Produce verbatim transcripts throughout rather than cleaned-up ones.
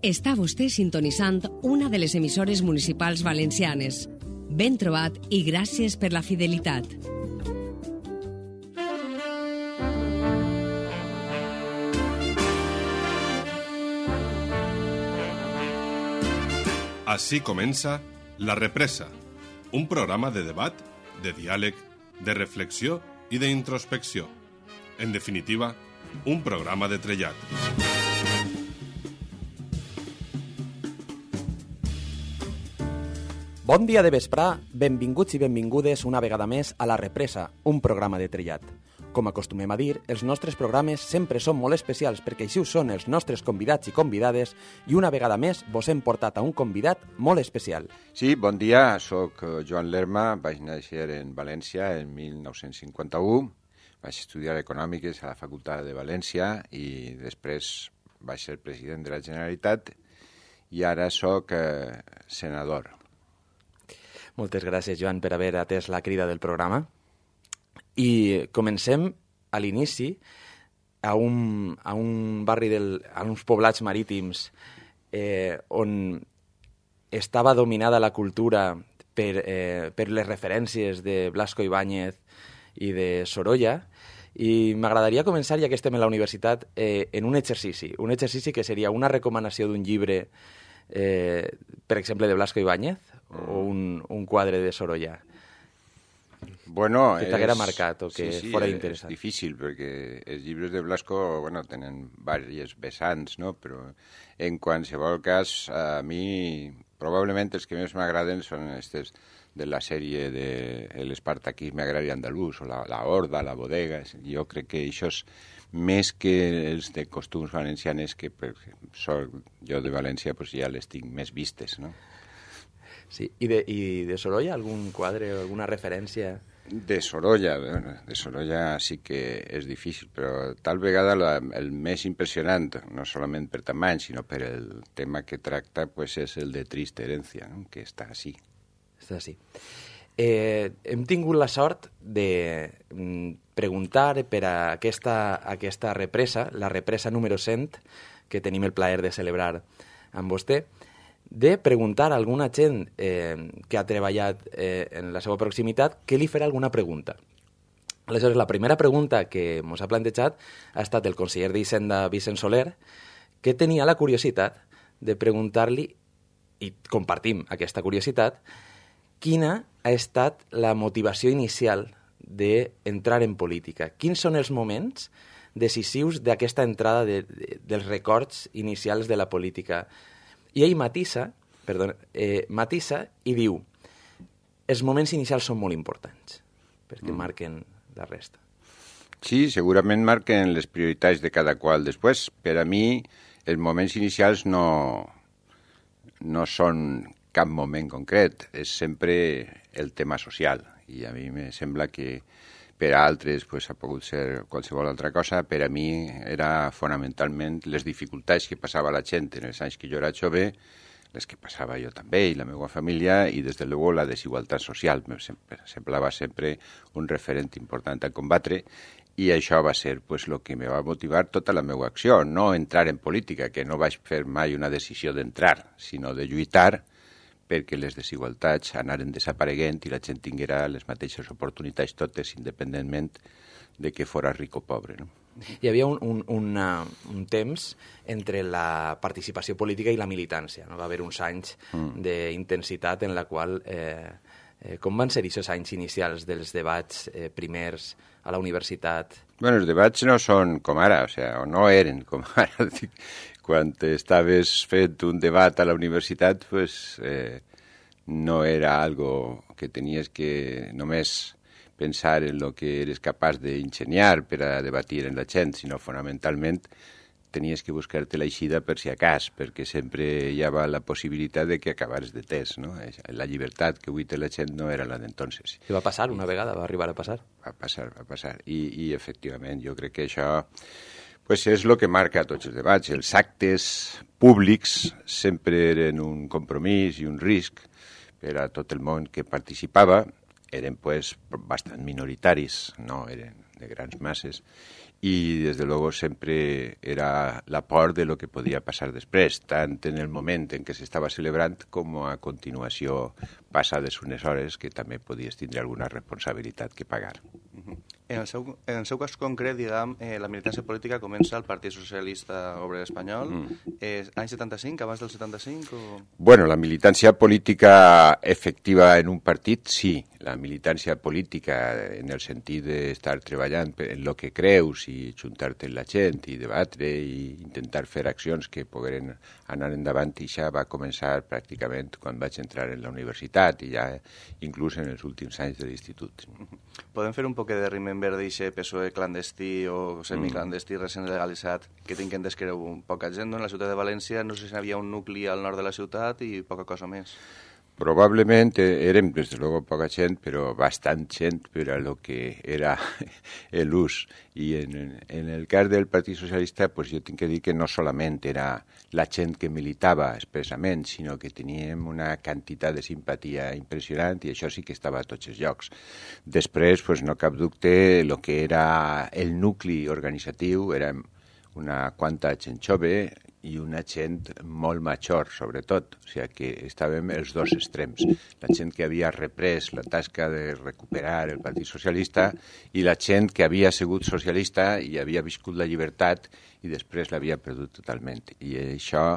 Està vostè sintonitzant una de les emissores municipals valencianes. Ben trobat i gràcies per la fidelitat. Així comença La Represa, un programa de debat, de diàleg, de reflexió i d'introspecció. En definitiva, un programa de trellat. Bon dia de vesprà, benvinguts i benvingudes una vegada més a La Represa, un programa de trellat. Com acostumem a dir, els nostres programes sempre són molt especials perquè així ho són els nostres convidats i convidades i una vegada més vos hem portat a un convidat molt especial. Sí, bon dia, soc Joan Lerma, vaig néixer en València en mil nou-cents cinquanta-u, vaig estudiar Econòmiques a la Facultat de València i després vaig ser president de la Generalitat i ara soc eh, senador. Moltes gràcies, Joan, per haver atès la crida del programa. I comencem a l'inici a un, a un barri, del, a uns poblats marítims eh, on estava dominada la cultura per, eh, per les referències de Blasco Ibáñez i de Sorolla, i m'agradaria començar, ja que estem a la universitat, eh, en un exercici, un exercici que seria una recomanació d'un llibre, eh, per exemple, de Blasco Ibáñez, o un, un quadre de Sorolla. Bueno, que t'haguera marcat o que sí, sí, fora és interessant. És difícil, perquè els llibres de Blasco, bueno, tenen diverses vessants, no? Però en qualsevol cas, a mi, probablement els que més m'agraden són aquests de la sèrie de l'Espartaquisme agrari andalús, o la, la Horda, la Bodega. Jo crec que això és més que els de costums valencianes, que per sort jo de València pues, ja les tinc més vistes, no? Sí, i de, i de Sorolla algun quadre o alguna referència? De Sorolla, de Sorolla sí que és difícil, però tal vegada la, el més impressionant, no solament per tamany, sinó per el tema que tracta, pues, és el de Triste Herencia, no? Que està així. Està així. Eh, hem tingut la sort de mm, preguntar per a aquesta, aquesta represa, la represa número cent, que tenim el plaer de celebrar amb vostè, de preguntar a alguna gent eh, que ha treballat eh, en la seva proximitat que li farà alguna pregunta. Aleshores, la primera pregunta que ens ha plantejat ha estat el conseller d'Hisenda, Vicent Soler, que tenia la curiositat de preguntar-li, i compartim aquesta curiositat, quina ha estat la motivació inicial d'entrar en política. Quins són els moments decisius d'aquesta entrada de, de, dels records inicials de la política? I ell matissa, perdó, eh, matissa i diu els moments inicials són molt importants perquè mm. marquen la resta. Sí, segurament marquen les prioritats de cada qual. Després, per a mi, els moments inicials no, no són cap moment concret, és sempre el tema social. I a mi me sembla que per a altres pues, ha pogut ser qualsevol altra cosa. Per a mi era fonamentalment les dificultats que passava la gent en els anys que jo era jove, les que passava jo també i la meva família, i des de luego la desigualtat social. Me semblava sempre un referent important a combatre, i això va ser pues, el que me va motivar tota la meva acció. No entrar en política, que no vaig fer mai una decisió d'entrar, sinó de lluitar perquè les desigualtats anaren desapareguent i la gent tinguera les mateixes oportunitats totes, independentment de que fora ric o pobre. No? Hi havia un, un, una, un temps entre la participació política i la militància. No? Va haver uns anys mm. d'intensitat en la qual... Eh, eh, com van ser aquests anys inicials dels debats eh, primers a la universitat? Bueno, els debats no són com ara, o, sea, o no eren com ara. Quan estaves fent un debat a la universitat, pues, eh, no era algo que tenies que només pensar en lo que eres capaç d'ingeniar per a debatir en la gent, sinó fonamentalment tenies que buscar-te l'eixida per si acas, perquè sempre hi havia la possibilitat de que acabares de test, no? La llibertat que avui té la gent no era la d'entonces. I va passar una vegada, va arribar a passar? Va passar, va passar. I, i efectivament, jo crec que això pues, és el que marca tots els debats. Els actes públics sempre eren un compromís i un risc per a tot el món que participava. Eren pues, bastant minoritaris, no eren de grans masses, y desde luego sempre era la por de lo que podia passar després, tant en el moment en què s'estava celebrant com a continuació passades unes hores que també podies tindre alguna responsabilitat que pagar. En el seu, en el seu cas concret, diguem, eh, la militància política comença al Partit Socialista Obrer Espanyol, mm. eh, any setanta-cinc, abans del setanta-cinc? O... Bueno, la militància política efectiva en un partit, sí. La militància política en el sentit d'estar treballant en el que creus i juntar-te amb la gent i debatre i intentar fer accions que pogueren anar endavant, i això va començar pràcticament quan vaig entrar en la universitat i ja inclús en els últims anys de l'institut. Podem fer un poc de remember d'aquest P S O E clandestí o semiclandestí mm. recent legalitzat que tinc entès que era un poca gent, no? En la ciutat de València no sé si hi havia un nucli al nord de la ciutat i poca cosa més. Probablement érem, des de luego, poca gent, però bastant gent per a lo que era l'ús. I en, en el cas del Partit Socialista, pues jo tinc que dir que no solament era la gent que militava expressament, sinó que teníem una quantitat de simpatia impressionant i això sí que estava a tots els llocs. Després, pues, no cap dubte, el que era el nucli organitzatiu era una quanta gent jove i una gent molt major, sobretot. O sigui que estàvem els dos extrems. La gent que havia reprès la tasca de recuperar el Partit Socialista i la gent que havia sigut socialista i havia viscut la llibertat i després l'havia perdut totalment. I això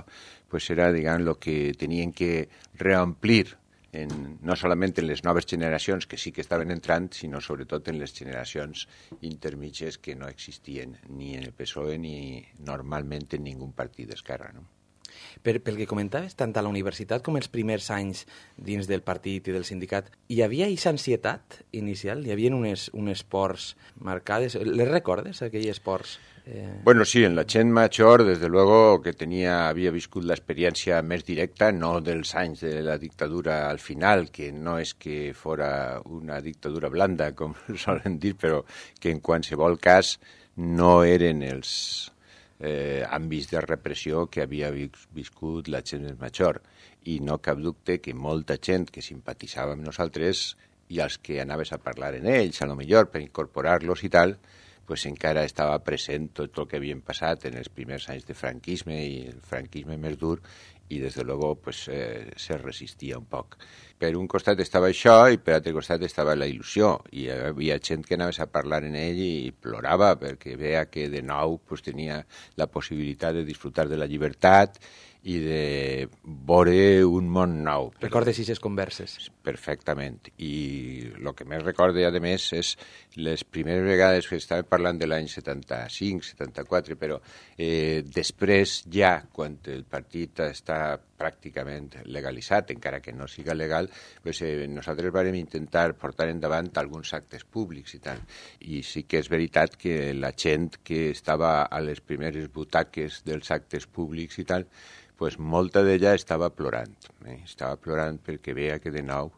pues, era, diguem, el que tenien que reomplir En, no solament en les noves generacions que sí que estaven entrant, sinó sobretot en les generacions intermitges que no existien ni en el P S O E ni normalment en ningú partit d'esquerra. No? Per, pel que comentaves, tant a la universitat com els primers anys dins del partit i del sindicat, hi havia aquesta ansietat inicial? Hi havia unes, unes pors marcades? Les recordes, aquells pors? Eh... Bueno, sí, en la gent major, desde luego, que tenia, havia viscut l'experiència més directa, no dels anys de la dictadura al final, que no és que fora una dictadura blanda, com solen dir, però que en qualsevol cas no eren els eh, àmbits de repressió que havia viscut la gent més major. I no cap dubte que molta gent que simpatitzava amb nosaltres i els que anaves a parlar en ells, a lo millor per incorporar-los i tal, pues encara estava present tot el que havien passat en els primers anys de franquisme i el franquisme més dur i des de luego pues, eh, se resistia un poc. Per un costat estava això i per altre costat estava la il·lusió i hi havia gent que anaves a parlar en ell i plorava perquè veia que de nou pues, tenia la possibilitat de disfrutar de la llibertat i de veure un món nou. Recordes aquestes converses? Perfectament. I el que més recorde, a més, és les primeres vegades que estàvem parlant de l'any setanta-cinc, setanta-quatre, però eh, després ja, quan el partit està pràcticament legalitzat, encara que no siga legal, pues, eh, nosaltres vam intentar portar endavant alguns actes públics i tal. I sí que és veritat que la gent que estava a les primeres butaques dels actes públics i tal, pues molta d'ella estava plorant. Eh? Estava plorant perquè veia que de nou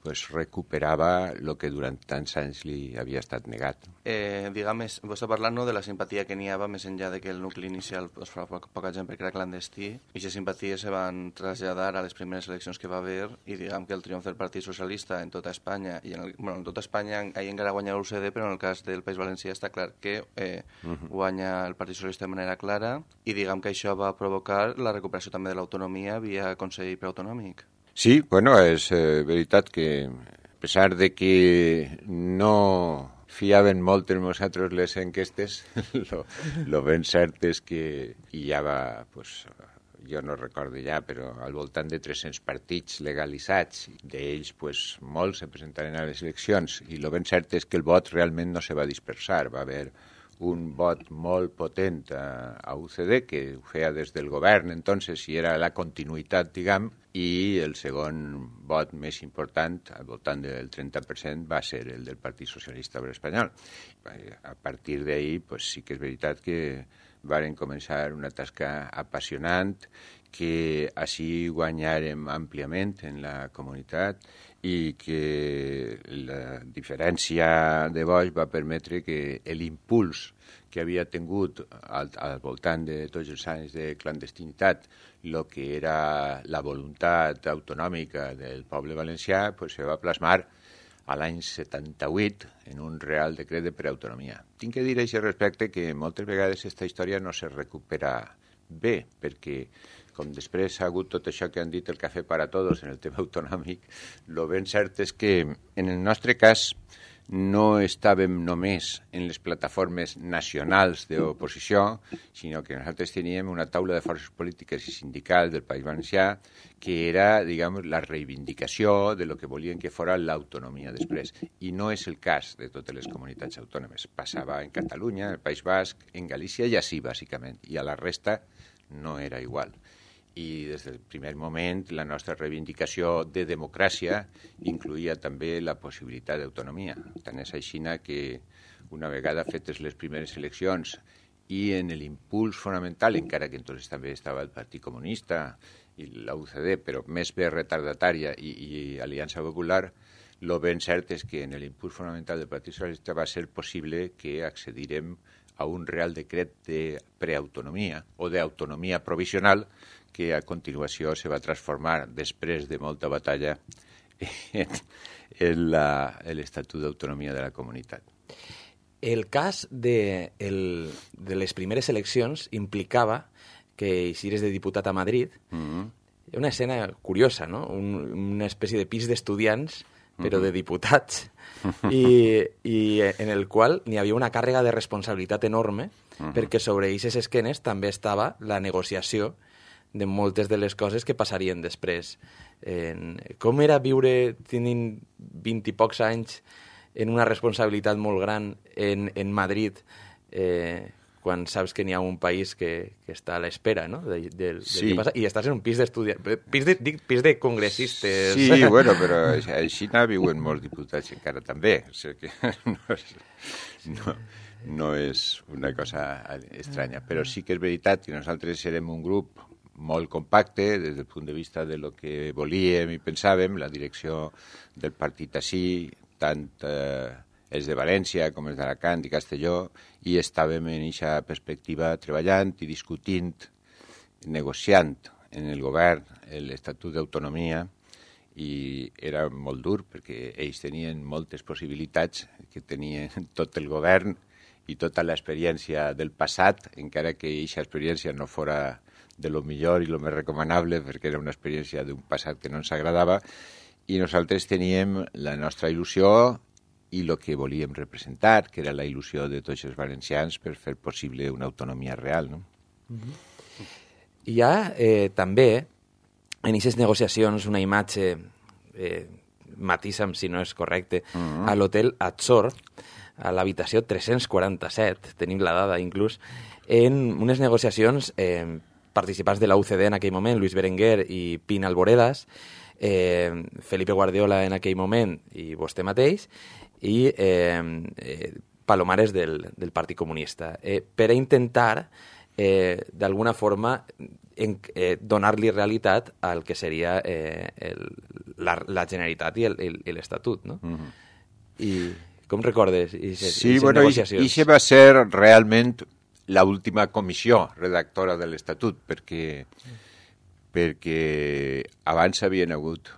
pues, recuperava el que durant tants anys li havia estat negat. Eh, diguem, vos està parlant no, de la simpatia que n'hi havia més enllà de que el nucli inicial pues, fa poca, poca gent perquè era clandestí i aquestes simpaties se van traslladar a les primeres eleccions que va haver i diguem que el triomf del Partit Socialista en tota Espanya i en, el, bueno, en tota Espanya ahir encara guanya l'U C D, però en el cas del País Valencià està clar que eh, uh-huh. guanya el Partit Socialista de manera clara i diguem que això va provocar la recuperació també de l'autonomia via Consell Preautonòmic. Sí, bueno, és eh, veritat que a pesar de que no fiaven molt en nosaltres les enquestes, lo, lo ben cert és que hi havia, pues, jo no recordo ja, però al voltant de tres-cents partits legalitzats, d'ells pues, molts se presentaren a les eleccions, i lo ben cert és que el vot realment no se va dispersar, va haver un vot molt potent a, a U C D, que ho feia des del govern, entonces, i era la continuïtat, diguem, i el segon vot més important, al voltant del trenta per cent, va ser el del Partit Socialista Obrer Espanyol. A partir d'ahir, pues, sí que és veritat que varen començar una tasca apassionant, que així guanyàrem àmpliament en la comunitat i que la diferència de vots va permetre que l'impuls que havia tingut al, al voltant de tots els anys de clandestinitat, el que era la voluntat autonòmica del poble valencià, pues, se va plasmar a l'any setanta-vuit en un Real Decret de Preautonomia. Tinc que dir a aquest respecte que moltes vegades aquesta història no se recupera bé, perquè com després ha hagut tot això que han dit el cafè para todos en el tema autonòmic, el ben cert és que en el nostre cas no estàvem només en les plataformes nacionals d'oposició, sinó que nosaltres teníem una taula de forces polítiques i sindicals del País Valencià que era, diguem, la reivindicació de lo que volien que fora l'autonomia després. I no és el cas de totes les comunitats autònomes. Passava en Catalunya, en el País Basc, en Galícia i així, bàsicament. I a la resta no era igual. I des del primer moment la nostra reivindicació de democràcia incluïa també la possibilitat d'autonomia. Tant és així que una vegada fetes les primeres eleccions i en l'impuls fonamental, encara que entonces també estava el Partit Comunista i la U C D, però més bé retardatària i, i Aliança Popular, el ben cert és que en l'impuls fonamental del Partit Socialista va ser possible que accedirem a un Real Decret de preautonomia o d'autonomia provisional que a continuació se va transformar, després de molta batalla, en, en l'Estatut d'Autonomia de la Comunitat. El cas de, el, de les primeres eleccions implicava que si eres de diputat a Madrid, mm-hmm. una escena curiosa, no? Un, una espècie de pis d'estudiants, però mm-hmm. de diputats, i, i en el qual n'hi havia una càrrega de responsabilitat enorme, mm-hmm. perquè sobre aquestes esquenes també estava la negociació de moltes de les coses que passarien després. En, com era viure tenint vint i pocs anys en una responsabilitat molt gran en, en Madrid, eh, quan saps que n'hi ha un país que, que està a l'espera, no?, de, de, de sí. què passa, i estàs en un pis d'estudiants, pis de, dic, pis de congressistes. Sí, bueno, però així n'ha viuen molts diputats encara també, o sigui que no és, no, no és una cosa estranya, però sí que és veritat que nosaltres serem un grup molt compacte des del punt de vista de lo que volíem i pensàvem, la direcció del partit així, tant eh, els de València com els d'Alacant i Castelló, i estàvem en aquesta perspectiva treballant i discutint, negociant en el govern l'Estatut d'Autonomia, i era molt dur perquè ells tenien moltes possibilitats que tenien tot el govern i tota l'experiència del passat, encara que aquesta experiència no fora de lo millor i lo més recomanable, perquè era una experiència d'un passat que no ens agradava, i nosaltres teníem la nostra il·lusió i el que volíem representar, que era la il·lusió de tots els valencians per fer possible una autonomia real, no? Mm-hmm. Hi ha eh, també en aquestes negociacions una imatge, eh, matisa'm si no és correcte, mm-hmm. a l'hotel Azor, a l'habitació tres-cents quaranta-set, tenim la dada inclús, en unes negociacions eh, participants de la U C D en aquell moment, Luis Berenguer i Pina Alboredas, eh, Felipe Guardiola en aquell moment i vostè mateix, i eh, eh, Palomares del, del Partit Comunista, eh, per a intentar, eh, d'alguna forma, en, eh, donar-li realitat al que seria eh, el, la, la Generalitat i l'Estatut, no? Mm-hmm. I com recordes? I se, sí, i bueno, i això va ser realment l'última comissió redactora de l'Estatut, perquè, perquè abans havien hagut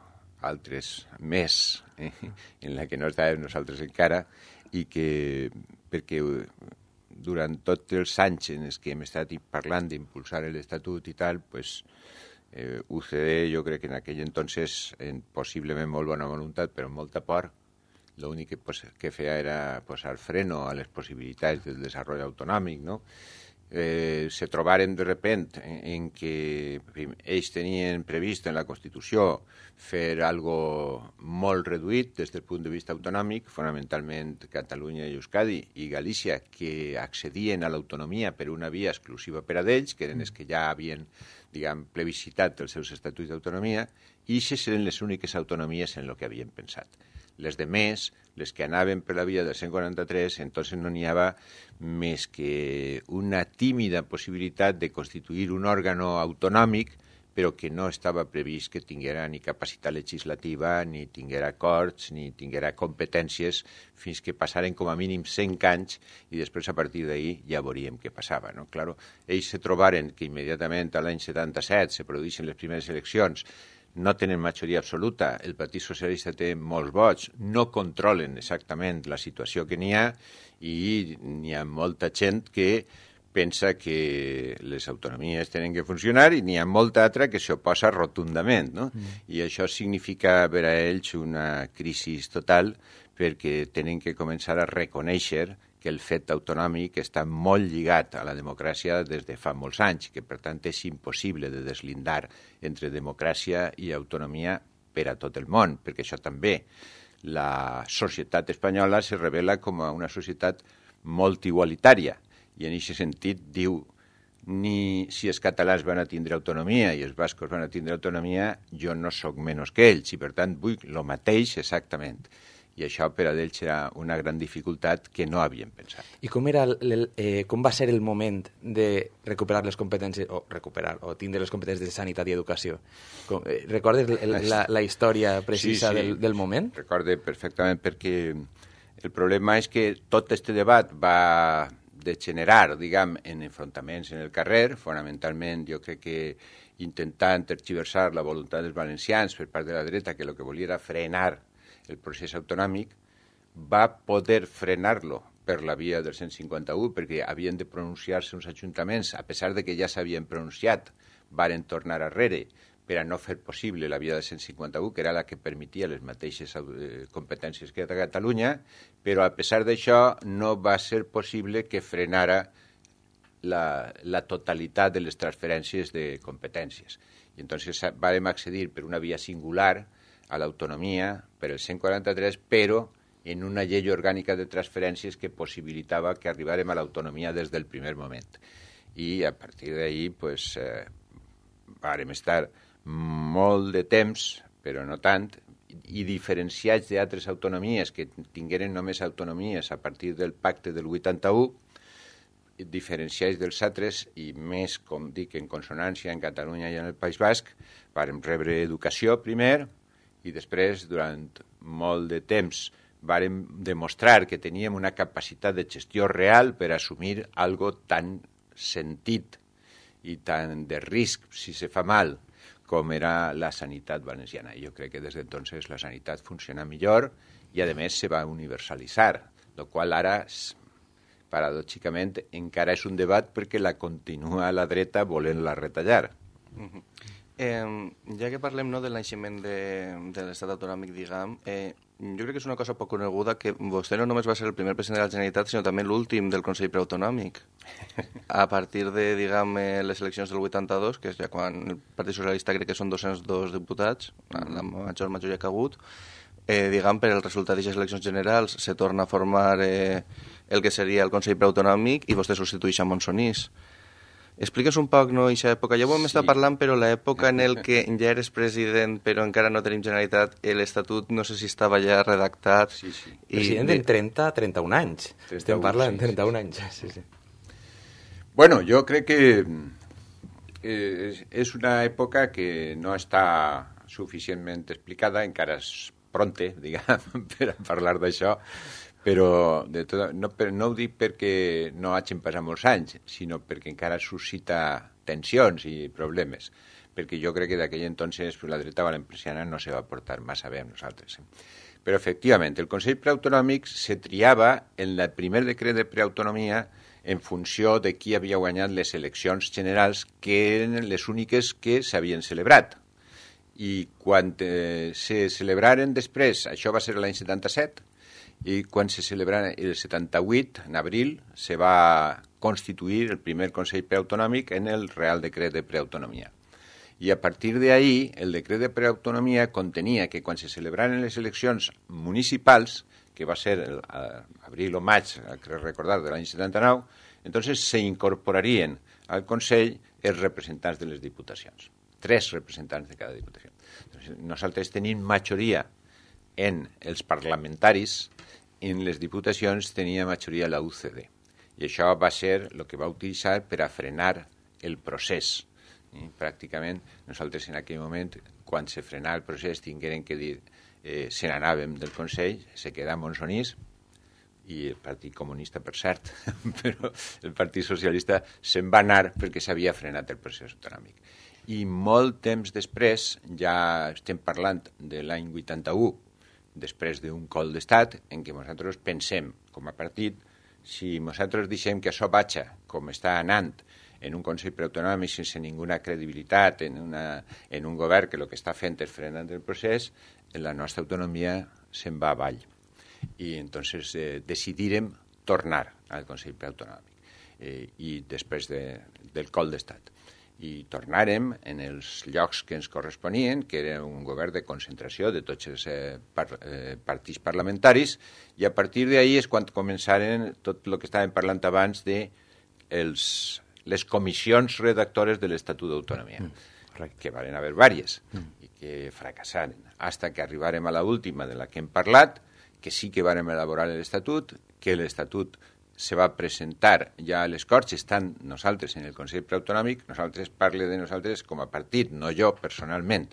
altres més, eh, en la que no estàvem nosaltres encara, i que perquè durant tots els anys en els que hem estat parlant d'impulsar l'Estatut i tal, pues, eh, U C D jo crec que en aquell entonces, en possiblement molt bona voluntat, però amb molta por, l'únic que, pues, que feia era posar freno a les possibilitats del desenvolupament autonòmic, no? Eh, se trobaren de repent en, en que ells tenien previst en la Constitució fer algo molt reduït des del punt de vista autonòmic, fonamentalment Catalunya i Euskadi i Galícia, que accedien a l'autonomia per una via exclusiva per a d'ells, que eren els que ja havien, diguem, plebiscitat els seus estatuts d'autonomia, i aquestes eren les úniques autonomies en el que havien pensat. Les de més, les que anaven per la via del cent quaranta-tres, entonces no n'hi havia més que una tímida possibilitat de constituir un òrgano autonòmic, però que no estava previst que tinguera ni capacitat legislativa, ni tinguera acords, ni tinguera competències, fins que passaren com a mínim cent anys, i després a partir d'ahir ja veuríem què passava, no? Claro, ells se trobaren que immediatament a l'any setanta-set se produeixen les primeres eleccions, no tenen majoria absoluta, el Partit Socialista té molts vots, no controlen exactament la situació que n'hi ha i n'hi ha molta gent que pensa que les autonomies tenen que funcionar i n'hi ha molta altra que s'oposa rotundament, no? Mm. I això significa per a ells una crisi total perquè tenen que començar a reconèixer que el fet autonòmic està molt lligat a la democràcia des de fa molts anys, que per tant és impossible de deslindar entre democràcia i autonomia per a tot el món, perquè això també, la societat espanyola se revela com a una societat molt igualitària, i en aquest sentit diu ni si els catalans van a tindre autonomia i els bascos van a tindre autonomia, jo no sóc menys que ells, i per tant vull el mateix exactament. I això per a ells era una gran dificultat que no havien pensat. I com, era el, eh, com va ser el moment de recuperar les competències, o recuperar, o tindre les competències de sanitat i educació? Com, eh, recordes el, la, la història precisa sí, sí. Del, del moment? Recorde perfectament, perquè el problema és que tot este debat va degenerar, diguem, en enfrontaments en el carrer, fonamentalment jo crec que intentant tergiversar la voluntat dels valencians per part de la dreta, que el que volia era frenar el procés autonòmic, va poder frenar-lo per la via del cent cinquanta-u, perquè havien de pronunciar-se uns ajuntaments, a pesar de que ja s'havien pronunciat, varen tornar arrere per a no fer possible la via del cent cinquanta-u, que era la que permetia les mateixes eh, competències que a Catalunya, però a pesar d'això no va ser possible que frenara la, la totalitat de les transferències de competències. I entonces vàrem accedir per una via singular a l'autonomia per el cent quaranta-tres, però en una llei orgànica de transferències que possibilitava que arribàrem a l'autonomia des del primer moment. I a partir d'ahir, pues, eh, vàrem estar molt de temps, però no tant, i diferenciats d'altres autonomies que tingueren només autonomies a partir del pacte del vuitanta-u, diferenciats dels altres i més, com dic, en consonància en Catalunya i en el País Basc, vàrem rebre educació primer i després, durant molt de temps, vàrem demostrar que teníem una capacitat de gestió real per assumir algo tan sentit i tan de risc si se fa mal com era la sanitat valenciana. Jo crec que des d'entonces la sanitat funciona millor i, a més, se va universalitzar, el qual ara, paradòxicament, encara és un debat perquè la continua la dreta volent-la retallar. Uh-huh. Eh, ja que parlem no, del naixement de, de l'estat autonòmic, diguem, eh, jo crec que és una cosa poc coneguda que vostè no només va ser el primer president de la Generalitat, sinó també l'últim del Consell Preautonòmic. A partir de, diguem, les eleccions del vuitanta-dos, que és ja quan el Partit Socialista crec que són dos-cents dos diputats, la major majoria que ha hagut, eh, diguem, per el resultat d'aquestes eleccions generals se torna a formar eh, el que seria el Consell Preautonòmic i vostè substitueix a Monsonís. Expliques un poc, no, aquesta època. Ja ho hem sí. estat parlant, però l'època en el que ja eres president, però encara no tenim Generalitat, l'Estatut no sé si estava ja redactat. Sí, sí. I... President en trenta a trenta-un anys. trenta-un, Estem parlant de sí, trenta-un sí. anys. Sí, sí. Bueno, jo crec que eh, és una època que no està suficientment explicada, encara és pronte, diguem, per a parlar d'això, però de tot, no, per, no ho dic perquè no hagin passat molts anys, sinó perquè encara suscita tensions i problemes, perquè jo crec que d'aquell entonces pues, la dreta valenciana no se va portar massa bé amb nosaltres. Eh? Però, efectivament, el Consell Preautonòmic se triava en el primer decret de preautonomia en funció de qui havia guanyat les eleccions generals, que eren les úniques que s'havien celebrat. I quan eh, se celebraren després, això va ser l'any setanta-set, i quan se celebrà el setanta-vuit, en abril, se va constituir el primer Consell Preautonòmic en el Real Decret de Preautonomia. I a partir d'ahir, el decret de preautonomia contenia que quan se celebraren les eleccions municipals, que va ser el, abril o maig, crec recordar, de l'any setanta-nou, entonces se incorporarien al Consell els representants de les diputacions. Tres representants de cada diputació. Entonces, nosaltres tenim majoria en els parlamentaris, en les diputacions tenia majoria la U C D. I això va ser el que va utilitzar per a frenar el procés. I, pràcticament, nosaltres en aquell moment, quan se frenava el procés, tingueren que dir, eh, se n'anàvem del Consell, se quedà Monsonís, i el Partit Comunista, per cert, però el Partit Socialista se'n va anar perquè s'havia frenat el procés autonòmic. I molt temps després, ja estem parlant de l'any vuitanta-u, després d'un col d'estat, en què nosaltres pensem, com a partit, si nosaltres deixem que això vagi com està anant en un Consell Preautonòmic sense ninguna credibilitat, en, una, en un govern que el que està fent és frenar el procés, la nostra autonomia se'n va avall. I entonces eh, decidirem tornar al Consell Preautonòmic eh, i després de, del col d'estat. I tornàrem en els llocs que ens corresponien, que era un govern de concentració de tots els eh, par, eh, partits parlamentaris, i a partir d'ahir és quan començaren tot el que estàvem parlant abans de els, les comissions redactores de l'Estatut d'Autonomia, mm, que van haver diverses, mm. i que fracassaren, fins que arribarem a l'última de la que hem parlat, que sí que vàrem elaborar l'Estatut, que l'Estatut se va presentar ja a les Corts, estan nosaltres en el Consell Preautonòmic, nosaltres parle de nosaltres com a partit, no jo personalment.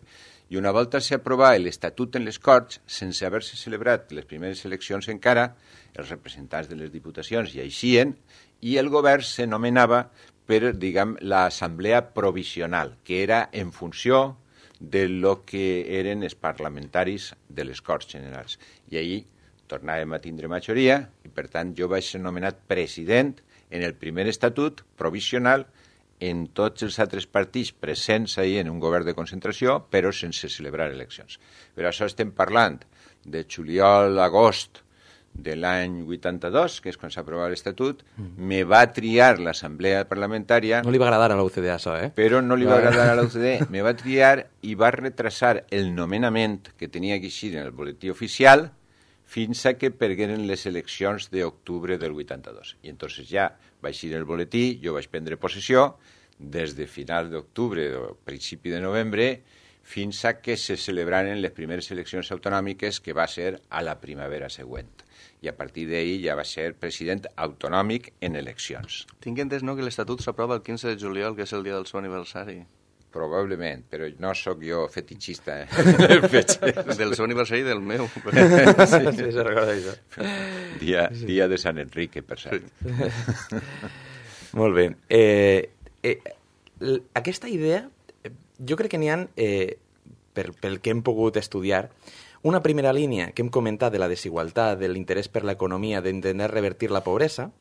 I una volta s'aprovà l'Estatut en les Corts, sense haver-se celebrat les primeres eleccions encara, els representants de les diputacions hi eixien, i el govern se nomenava per, diguem, l'Assemblea Provisional, que era en funció de lo que eren els parlamentaris de les Corts Generals. I ahir tornàvem a tindre majoria i, per tant, jo vaig ser nomenat president en el primer estatut provisional en tots els altres partits presents ahir en un govern de concentració, però sense celebrar eleccions. Per això estem parlant de juliol, agost de l'any vuitanta-dos, que és quan s'aprovava l'Estatut, mm. me va triar l'Assemblea Parlamentària... No li va agradar a l'U C D això, eh? Però no li va agradar a l'U C D, me va triar i va retrasar el nomenament que tenia que eixir en el boletí oficial fins a que pergueren les eleccions d'octubre del vuitanta-dos. I entonces ja va eixir el boletí, jo vaig prendre possessió, des de final d'octubre o principi de novembre, fins a que se celebraren les primeres eleccions autonòmiques, que va ser a la primavera següent. I a partir d'ahir ja va ser president autonòmic en eleccions. Tinc entès, no?, que l'Estatut s'aprova el quinze de juliol, que és el dia del seu aniversari. Probablement, però no sóc jo fetichista, eh? Del seu aniversari i del meu. Sí, sí, se recorda això. Dia, dia de Sant Enrique, per cert. Sí. Molt bé. Eh, eh, aquesta idea, jo crec que n'hi ha, eh, per, pel que hem pogut estudiar, una primera línia que hem comentat de la desigualtat, de l'interès per l'economia, d'intentar revertir la pobresa,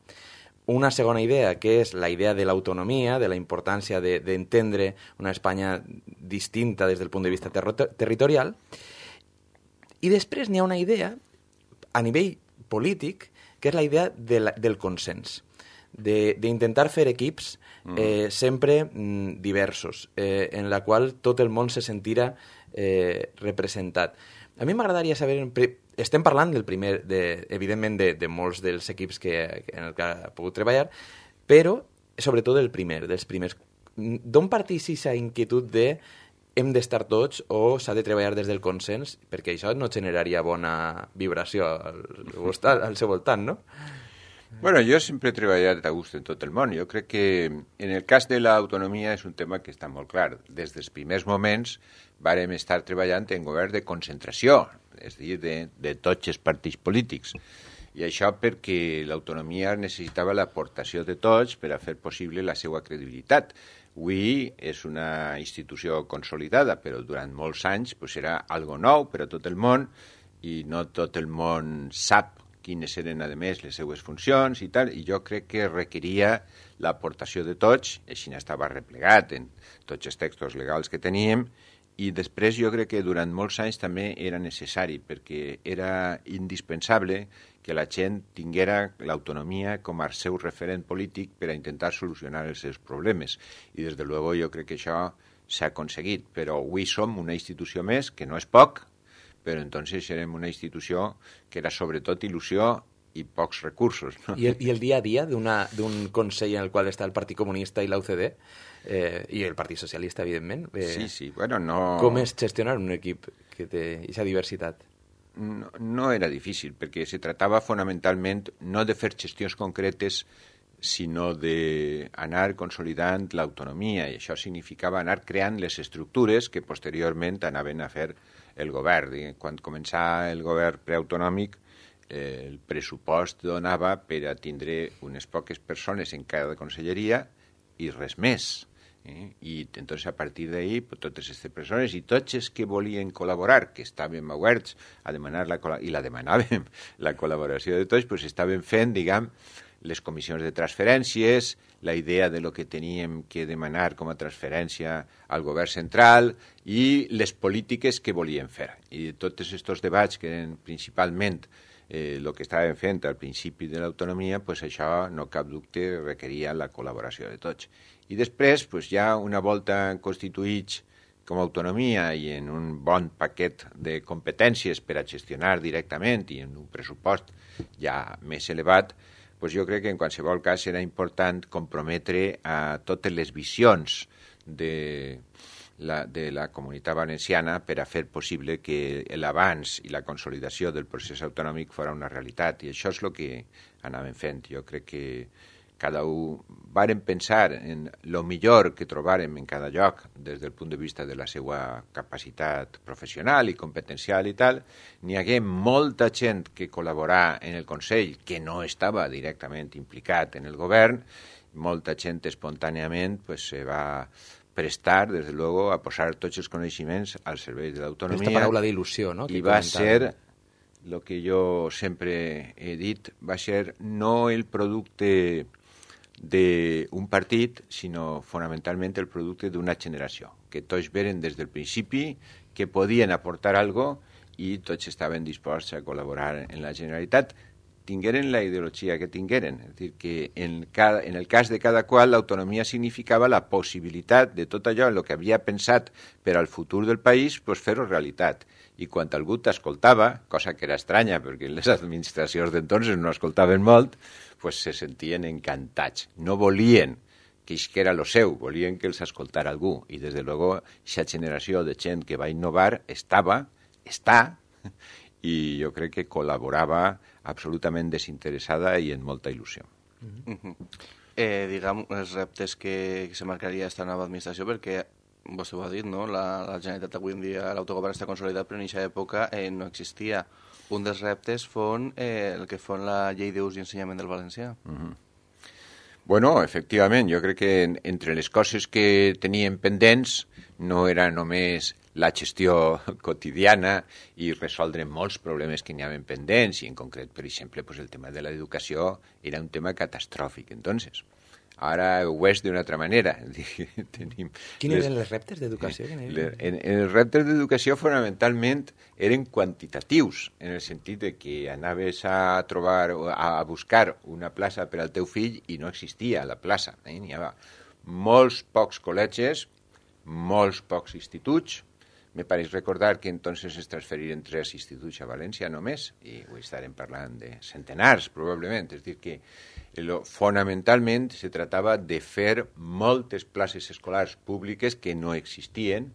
una segona idea, que és la idea de l'autonomia, de la importància d'entendre de, una Espanya distinta des del punt de vista ter territorial. I després n'hi ha una idea, a nivell polític, que és la idea de la, del consens, d'intentar fer equips eh, sempre mm, diversos, eh, en la qual tot el món se sentirà eh, representat. A mi m'agradaria saber... Estem parlant, del primer, de, evidentment, de, de molts dels equips que, en el que ha pogut treballar, però sobretot del primer, dels primers. D'on partís aquesta inquietud de hem d'estar tots o s'ha de treballar des del consens? Perquè això no generaria bona vibració al, al seu voltant, no? Bueno, jo sempre he treballat a gust en tot el món. Jo crec que en el cas de l'autonomia és un tema que està molt clar. Des dels primers moments vàrem estar treballant en govern de concentració, és a dir, de, de tots els partits polítics. I això perquè l'autonomia necessitava l'aportació de tots per a fer possible la seva credibilitat. Avui és una institució consolidada, però durant molts anys pues, era algo nou per a tot el món i no tot el món sap quines eren, a més, les seues funcions i tal, i jo crec que requeria l'aportació de tots, així n'estava replegat en tots els textos legals que teníem, i després jo crec que durant molts anys també era necessari, perquè era indispensable que la gent tinguera l'autonomia com a seu referent polític per a intentar solucionar els seus problemes. I des de luego jo crec que això s'ha aconseguit, però avui som una institució més, que no és poc, però entonces érem una institució que era sobretot il·lusió i pocs recursos. ¿No? I, el, I el dia a dia d'un Consell en el qual està el Partit Comunista i l'U C D, eh, i el Partit Socialista, evidentment, eh, sí, sí. Bueno, no... com és gestionar un equip que té aquesta diversitat? No, no era difícil, perquè se tratava fonamentalment no de fer gestions concretes, sinó d'anar consolidant l'autonomia, i això significava anar creant les estructures que posteriorment anaven a fer el govern. Quan començà el govern preautonòmic, eh, el pressupost donava per a tindre unes poques persones en cada conselleria i res més. Eh? I entonces a partir d'ahí pues, totes aquestes persones i tots els que volien col·laborar, que estàvem oberts a demanar la i la demanàvem la col·laboració de tots, pues estaven fent, diguem, les comissions de transferències, la idea de lo que teníem que demanar com a transferència al govern central i les polítiques que volien fer. I tots aquests debats que eren principalment eh, el que estàvem fent al principi de l'autonomia, pues això, no cap dubte, requeria la col·laboració de tots. I després, pues, ja una volta constituïts com a autonomia i en un bon paquet de competències per a gestionar directament i en un pressupost ja més elevat, pues jo crec que en qualsevol cas serà important comprometre a totes les visions de la, de la comunitat valenciana per a fer possible que l'avanç i la consolidació del procés autonòmic fora una realitat. I això és el que anàvem fent. Jo crec que cada un vàrem pensar en el millor que trobàrem en cada lloc des del punt de vista de la seva capacitat professional i competencial i tal. N'hi hagué molta gent que col·laborà en el Consell que no estava directament implicat en el govern, molta gent espontàniament pues, se va prestar, des de luego, a posar tots els coneixements al servei de l'autonomia. Aquesta paraula d'il·lusió, no? I va ser, el que jo sempre he dit, va ser no el producte d'un partit, sinó fonamentalment el producte d'una generació, que tots veren des del principi que podien aportar alguna cosa i tots estaven disposats a col·laborar en la Generalitat, tingueren la ideologia que tingueren. És a dir, que en, cada, en el cas de cada qual l'autonomia significava la possibilitat de tot allò en el que havia pensat per al futur del país, pues, fer-ho realitat. I quan algú t'escoltava, cosa que era estranya perquè les administracions d'entonces no escoltaven molt, pues se sentien encantats. No volien que isquera lo seu, volien que els escoltara algú. I des de luego, aquesta generació de gent que va innovar estava, està, i jo crec que col·laborava absolutament desinteressada i amb molta il·lusió. Mm-hmm. eh, diguem, els reptes que, que se marcaria aquesta nova administració, perquè vostè ho ha dit, no? la, la Generalitat avui en dia, l'autogovern està consolidat, però en aquesta època eh, no existia. Un dels reptes fon eh, el que fon la llei d'ús i ensenyament del valencià. Mm-hmm. Bueno, efectivament, jo crec que en, entre les coses que teníem pendents no era només la gestió quotidiana i resoldre molts problemes que n'hi havia pendents, i en concret, per exemple, pues el tema de l'educació era un tema catastròfic. Entonces, ara ho és d'una altra manera. Tenim Quins eren els reptes d'educació? En, en els reptes d'educació fonamentalment eren quantitatius, en el sentit de que anaves a trobar, a buscar una plaça per al teu fill i no existia la plaça. Eh? N'hi havia molts pocs col·legis, molts pocs instituts. Me pareix recordar que entonces es transferiren tres instituts a València només, i ho estarem parlant de centenars, probablement. És a dir, que lo, fonamentalment se tractava de fer moltes places escolars públiques que no existien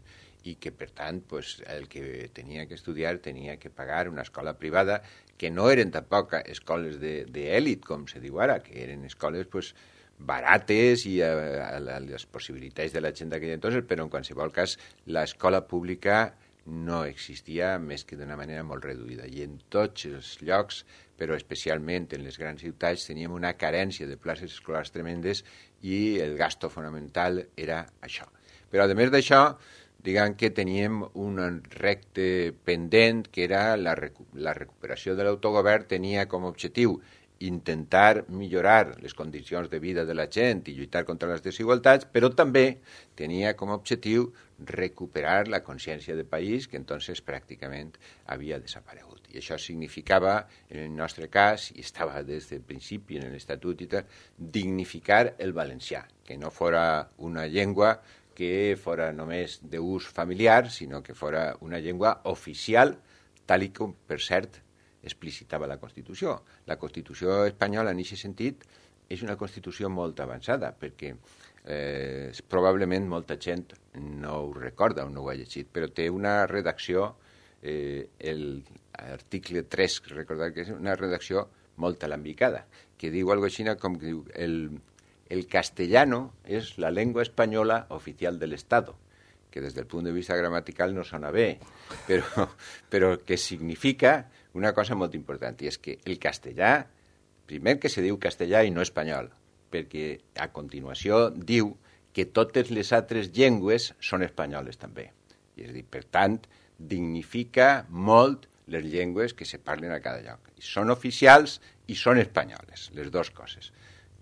i que, per tant, pues, el que tenia que estudiar tenia que pagar una escola privada, que no eren tampoc escoles d'èlit, com se diu ara, que eren escoles, pues, barates i a, a, a les possibilitats de la gent d'aquell entonces, però en qualsevol cas l'escola pública no existia més que d'una manera molt reduïda. I en tots els llocs, però especialment en les grans ciutats, teníem una carència de places escolars tremendes i el gasto fonamental era això. Però a més d'això, diguem que teníem un repte pendent que era la, recu la recuperació de l'autogovern, tenia com a objectiu intentar millorar les condicions de vida de la gent i lluitar contra les desigualtats, però també tenia com a objectiu recuperar la consciència de país que entonces pràcticament havia desaparegut. I això significava, en el nostre cas, i estava des del principi en l'Estatut i tal, dignificar el valencià, que no fora una llengua que fora només d'ús familiar, sinó que fora una llengua oficial, tal i com, per cert, explicitava la Constitució. La Constitució espanyola, en aquest sentit, és una Constitució molt avançada, perquè eh, probablement molta gent no ho recorda o no ho ha llegit, però té una redacció, eh, l'article tres, recordar que és una redacció molt alambicada, que diu algo així com que diu el, el castellano és la llengua espanyola oficial del Estado que des del punt de vista gramatical no sona bé, però, però que significa una cosa molt important, i és que el castellà, primer que se diu castellà i no espanyol, perquè a continuació diu que totes les altres llengües són espanyoles també. I és a dir, per tant, dignifica molt les llengües que se parlen a cada lloc. I són oficials i són espanyoles, les dues coses.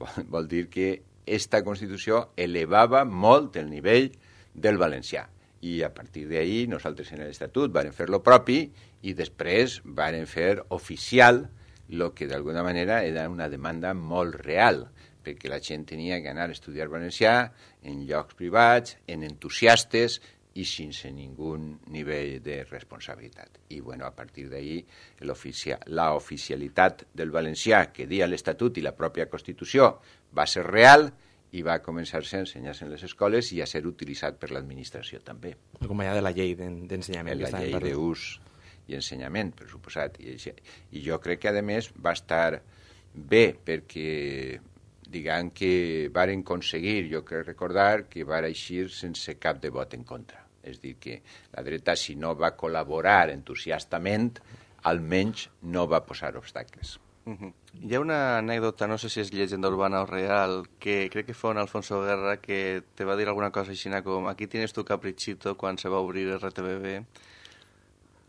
Vol, vol dir que esta Constitució elevava molt el nivell del valencià. I a partir d'ahí nosaltres en l'Estatut vàrem fer lo propi i després vàrem fer oficial el que d'alguna manera era una demanda molt real, perquè la gent tenia que anar a estudiar valencià en llocs privats, en entusiastes i sense ningú nivell de responsabilitat. I bueno, a partir d'ahí la oficialitat del valencià que dia l'Estatut i la pròpia Constitució va ser real i va començar-se a ensenyar-se en les escoles i a ser utilitzat per l'administració també. Acompanyada de la llei d'ensenyament. La llei d'ús i ensenyament, per suposat. I, I jo crec que, a més, va estar bé perquè, diguem que varen aconseguir, jo crec recordar, que va eixir sense cap de vot en contra. És dir, que la dreta, si no va col·laborar entusiastament, almenys no va posar obstacles. Uh-huh. Hi ha una anècdota, no sé si és llegenda urbana o real, que crec que fue en Alfonso Guerra, que te va dir alguna cosa així com aquí tienes tu caprichito quan se va obrir R T B B.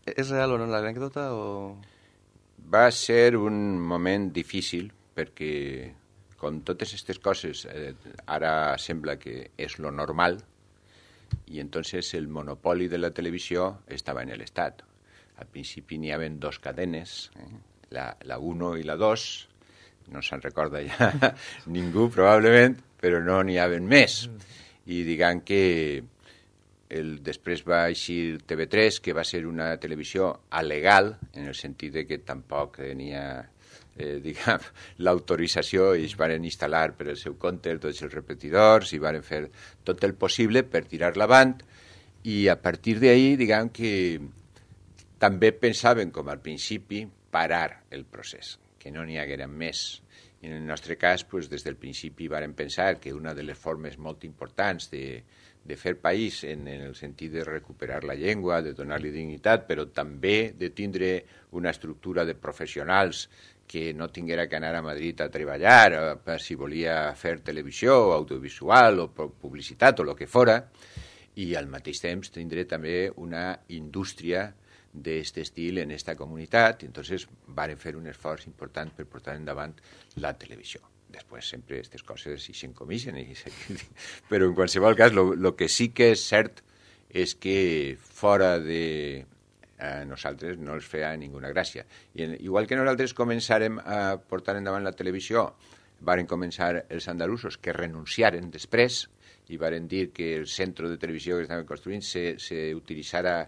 És real o no l'anècdota? O... Va ser un moment difícil perquè, com totes aquestes coses, eh, ara sembla que és lo normal i entonces el monopoli de la televisió estava en l'Estat. Al principi n'hi havia dos cadenes, eh? La, la uno i la dos, no se'n recorda ja ningú probablement, però no n'hi havia més. I diguem que el, després va eixir T V tres, que va ser una televisió alegal, en el sentit de que tampoc tenia eh, diguem, l'autorització i es van instal·lar per el seu compte tots els repetidors i van fer tot el possible per tirar-la avant i a partir d'ahir, diguem que també pensaven, com al principi, parar el procés, que no n'hi hagueren més. I en el nostre cas, pues, des del principi vàrem pensar que una de les formes molt importants de, de fer país en, en el sentit de recuperar la llengua, de donar-li dignitat, però també de tindre una estructura de professionals que no tinguera que anar a Madrid a treballar per si volia fer televisió o audiovisual o publicitat o el que fora, i al mateix temps tindre també una indústria d'aquest estil en aquesta comunitat, i entonces varen fer un esforç important per portar endavant la televisió. Després sempre aquestes coses s'hi s'encomixen, però en qualsevol cas, el que sí que és cert és que fora de a nosaltres no els feia ninguna gràcia. I en, igual que nosaltres començàrem a portar endavant la televisió, varen començar els andalusos que renunciaren després i varen dir que el centre de televisió que estaven construint se, se utilitzara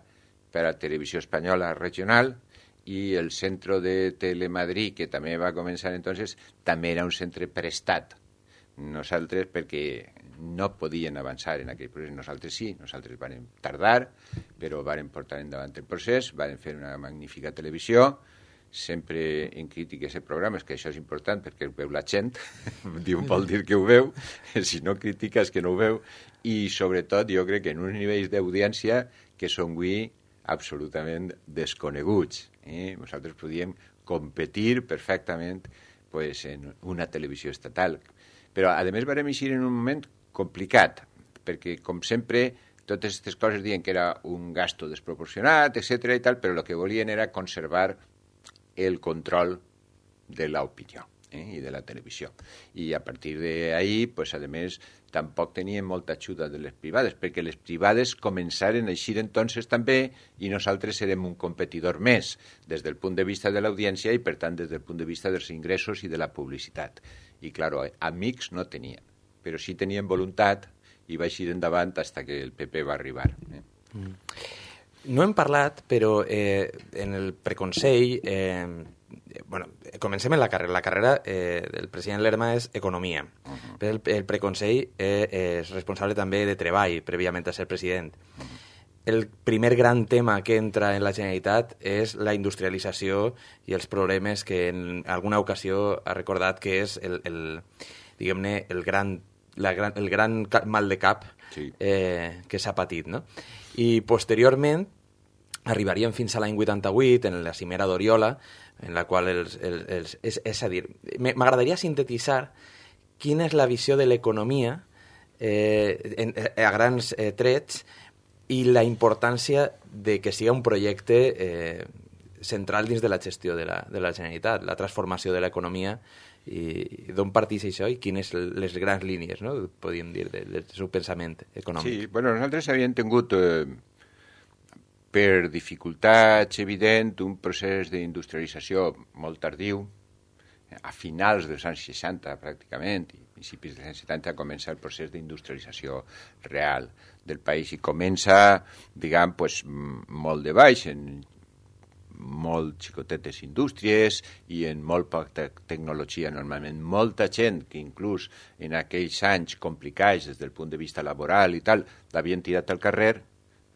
per a televisió espanyola regional i el centre de Telemadrid, que també va començar entonces, també era un centre prestat. Nosaltres, perquè no podien avançar en aquell procés, nosaltres sí, nosaltres vàrem tardar, però vàrem portar endavant el procés, vàrem fer una magnífica televisió, sempre en crítiques i programes, que això és important perquè ho veu la gent, vol dir que ho veu, si no crítica és que no ho veu, i sobretot jo crec que en uns nivells d'audiència que són avui absolutament desconeguts. Eh? Nosaltres podíem competir perfectament pues, en una televisió estatal. Però, a més, vam eixir en un moment complicat, perquè, com sempre, totes aquestes coses diuen que era un gasto desproporcionat, etcètera i tal, però el que volien era conservar el control de l'opinió eh, i de la televisió. I a partir d'ahí, pues, a més, tampoc tenien molta ajuda de les privades, perquè les privades començaren a eixir entonces també i nosaltres érem un competidor més des del punt de vista de l'audiència i, per tant, des del punt de vista dels ingressos i de la publicitat. I, clar, amics no tenien, però sí tenien voluntat i va eixir endavant fins que el P P va arribar. Eh? Mm. No hem parlat, però eh, en el preconsell... Eh, bueno, comencem en la carrera. La carrera eh, del president Lerma és Economia. Uh-huh. Però el, el preconsell eh, és responsable també de Treball, prèviament a ser president. Uh-huh. El primer gran tema que entra en la Generalitat és la industrialització i els problemes que en alguna ocasió ha recordat que és el, el, diguem-ne, el gran la gran, el gran mal de cap sí. eh, que s'ha patit, no? I posteriorment arribaríem fins a l'any vuitanta-vuit, en la cimera d'Oriola, en la qual els... els, els és, és a dir, m'agradaria sintetitzar quina és la visió de l'economia eh, en, a grans eh, trets i la importància de que sigui un projecte eh, central dins de la gestió de la, de la Generalitat, la transformació de l'economia i, i d'on parteix això i quines les grans línies, no?, podríem dir, de, del seu pensament econòmic. Sí, bueno, nosaltres havíem tingut, eh, per dificultats evident, un procés d'industrialització molt tardiu, a finals dels anys seixanta, pràcticament, i principis dels anys setanta, comença el procés d'industrialització real del país i comença, diguem, pues, molt de baix, en molt xicotetes indústries i en molt poca tecnologia normalment. Molta gent que inclús en aquells anys complicats des del punt de vista laboral i tal, l'havien tirat al carrer,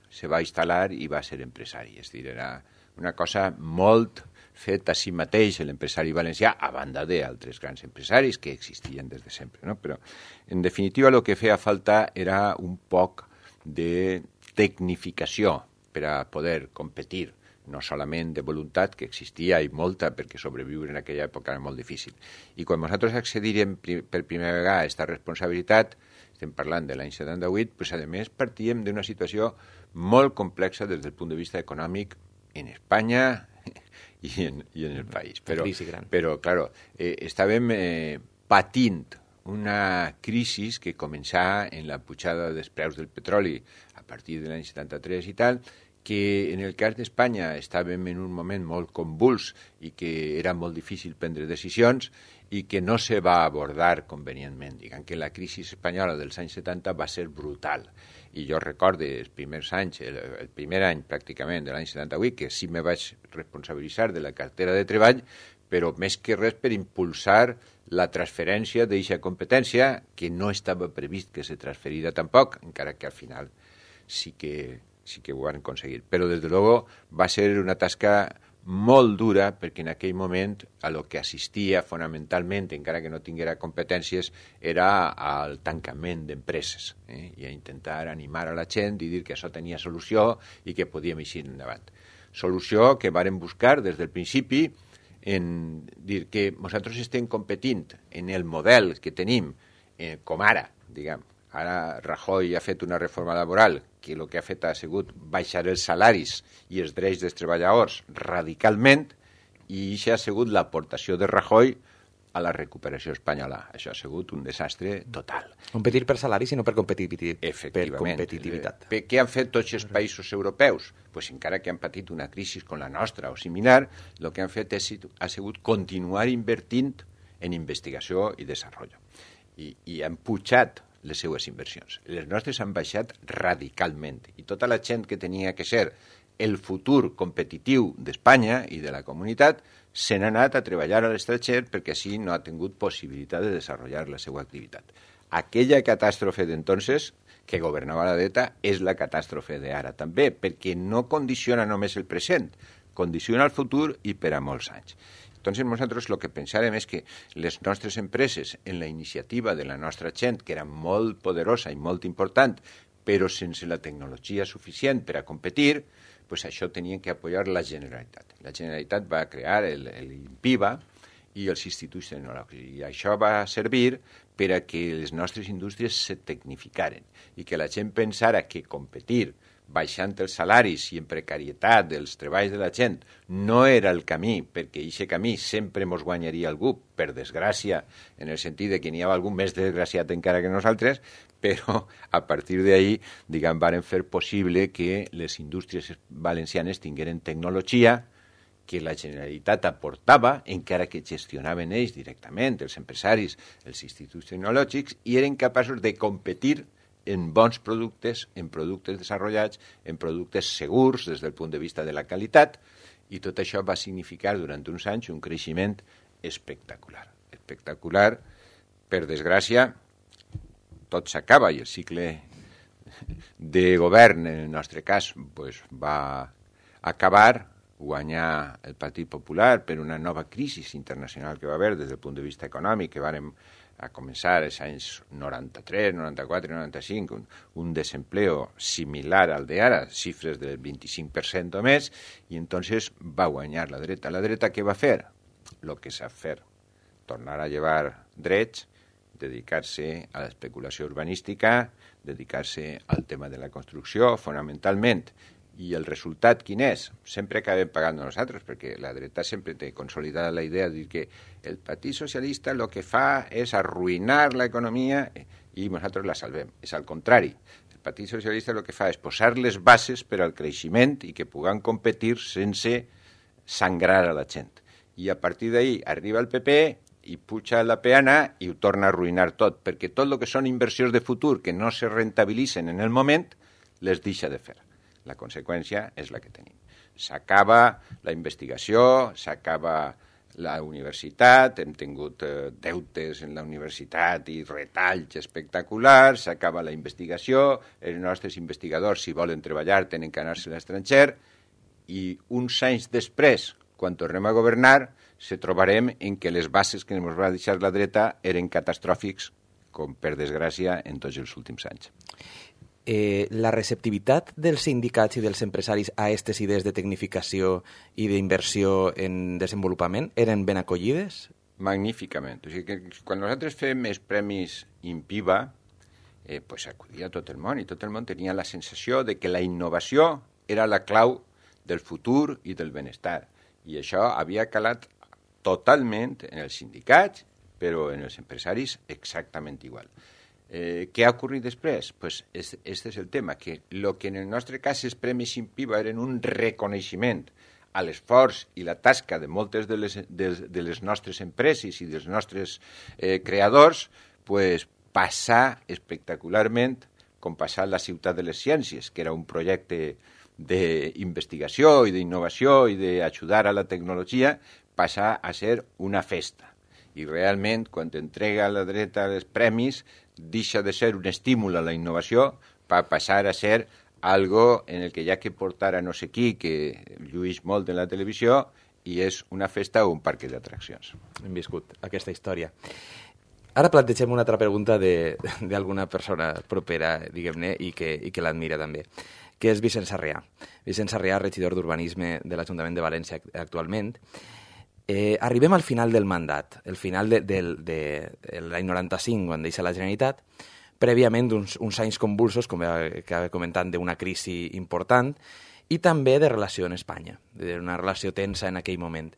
se va instal·lar i va ser empresari. És a dir, era una cosa molt fet a si mateix l'empresari valencià, a banda d'altres grans empresaris que existien des de sempre, no? Però, en definitiva, el que feia falta era un poc de tecnificació per a poder competir, no solament de voluntat, que existia i molta, perquè sobreviure en aquella època era molt difícil. I quan nosaltres accedirem per primera vegada a aquesta responsabilitat, estem parlant de l'any setanta-vuit, pues, a més, partíem d'una situació molt complexa des del punt de vista econòmic en Espanya i en, i en el país. Però, però claro, eh, estàvem eh, patint una crisi que començà en la pujada dels preus del petroli a partir de l'any setanta-tres i tal, que en el cas d'Espanya estàvem en un moment molt convuls i que era molt difícil prendre decisions i que no se va abordar convenientment. Diguem que la crisi espanyola dels anys setanta va ser brutal. I jo recordo els primers anys, el, el primer any pràcticament de l'any setanta-vuit, que sí me vaig responsabilitzar de la cartera de treball, però més que res per impulsar la transferència d'aquesta competència, que no estava previst que se transferira tampoc, encara que al final sí que, sí que ho van aconseguir. Però, des de luego, va ser una tasca molt dura, perquè en aquell moment a lo que assistia fonamentalment, encara que no tinguera competències, era al tancament d'empreses, eh? I a intentar animar a la gent i dir que això tenia solució i que podíem eixir endavant. Solució que vàrem buscar des del principi en dir que nosaltres estem competint en el model que tenim, eh, com ara, diguem. Ara Rajoy ha fet una reforma laboral que el que ha fet ha sigut baixar els salaris i els drets dels treballadors radicalment, i això ha sigut l'aportació de Rajoy a la recuperació espanyola. Això ha sigut un desastre total. Competir per salaris i no per, competitiv per competitivitat. Per què han fet tots els països europeus? Pues encara que han patit una crisi com la nostra o similar, el que han fet és, ha sigut continuar invertint en investigació i desenvolupament. I, i han pujat les seues inversions. Les nostres han baixat radicalment i tota la gent que tenia que ser el futur competitiu d'Espanya i de la comunitat se n'ha anat a treballar a l'estranger perquè així no ha tingut possibilitat de desenvolupar la seva activitat. Aquella catàstrofe d'entonces que governava la dreta és la catàstrofe d'ara també, perquè no condiciona només el present, condiciona el futur i per a molts anys. Entonces, nosaltres el que pensàrem és que les nostres empreses, en la iniciativa de la nostra gent, que era molt poderosa i molt important, però sense la tecnologia suficient per a competir, pues això tenien que apoyar la Generalitat. La Generalitat va crear l'INPIVA i els instituts tecnològics, i això va servir per a que les nostres indústries se tecnificaren i que la gent pensara que competir baixant els salaris i en precarietat dels treballs de la gent no era el camí, perquè aquest camí sempre ens guanyaria algú, per desgràcia, en el sentit de que n'hi ha algú més desgraciat encara que nosaltres, però a partir d'ahí, diguem, varen fer possible que les indústries valencianes tingueren tecnologia que la Generalitat aportava, encara que gestionaven ells directament, els empresaris, els instituts tecnològics, i eren capaços de competir en bons productes, en productes desenvolupats, en productes segurs des del punt de vista de la qualitat, i tot això va significar durant uns anys un creixement espectacular. Espectacular, per desgràcia, tot s'acaba i el cicle de govern, en el nostre cas, pues, va acabar, guanyar el Partit Popular per una nova crisi internacional que va haver des del punt de vista econòmic, que vàrem a començar als anys noranta-tres, noranta-quatre, noranta-cinc, un, un desempleo similar al d'ara, xifres del vint-i-cinc per cent o més, i entonces va guanyar la dreta. La dreta què va fer? Lo que sap fer, tornar a llevar drets, dedicar-se a l'especulació urbanística, dedicar-se al tema de la construcció, fonamentalment. I el resultat quin és? Sempre acabem pagant nosaltres, perquè la dreta sempre té consolidada la idea de dir que el Partit Socialista el que fa és arruïnar l'economia i nosaltres la salvem. És al contrari. El Partit Socialista el que fa és posar les bases per al creixement i que puguem competir sense sangrar a la gent. I a partir d'ahí arriba el P P i puja la peana i ho torna a arruïnar tot, perquè tot el que són inversions de futur que no se rentabilitzen en el moment, les deixa de fer. La conseqüència és la que tenim. S'acaba la investigació, s'acaba la universitat, hem tingut eh, deutes en la universitat i retalls espectaculars, s'acaba la investigació, els nostres investigadors, si volen treballar, tenen que anar-se a l'estranger, i uns anys després, quan tornem a governar, se trobarem en que les bases que ens va deixar la dreta eren catastròfics, com per desgràcia en tots els últims anys. Eh, la receptivitat dels sindicats i dels empresaris a aquestes idees de tecnificació i d'inversió en desenvolupament eren ben acollides? Magníficament. O sigui que quan nosaltres fem els premis INPIVA, eh, pues acudia tot el món, i tot el món tenia la sensació de que la innovació era la clau del futur i del benestar. I això havia calat totalment en els sindicats, però en els empresaris exactament igual. Eh, què ha ocorrit després? Pues este, este és el tema, que el que en el nostre cas els premis INPIVA eren un reconeixement a l'esforç i la tasca de moltes de les, de, de les nostres empreses i dels nostres eh, creadors, pues, passar espectacularment com passar la Ciutat de les Ciències, que era un projecte d'investigació i d'innovació i d'ajudar a la tecnologia, passar a ser una festa. I realment, quan entrega a la dreta els premis, deixa de ser un estímul a la innovació per passar a ser algo en el que hi ha que portar a no sé qui, que lluís molt en la televisió, i és una festa o un parc d'atraccions. Hem viscut aquesta història. Ara plantegem una altra pregunta d'alguna persona propera, diguem-ne, i que, i que l'admira també, que és Vicent Sarrià. Vicent Sarrià, regidor d'Urbanisme de l'Ajuntament de València actualment. Eh, arribem al final del mandat, el final de, de, de, de l'any noranta-cinc, quan deixa la Generalitat, prèviament d'uns uns anys convulsos, com acaba comentant, d'una crisi important, i també de relació en Espanya, d'una relació tensa en aquell moment.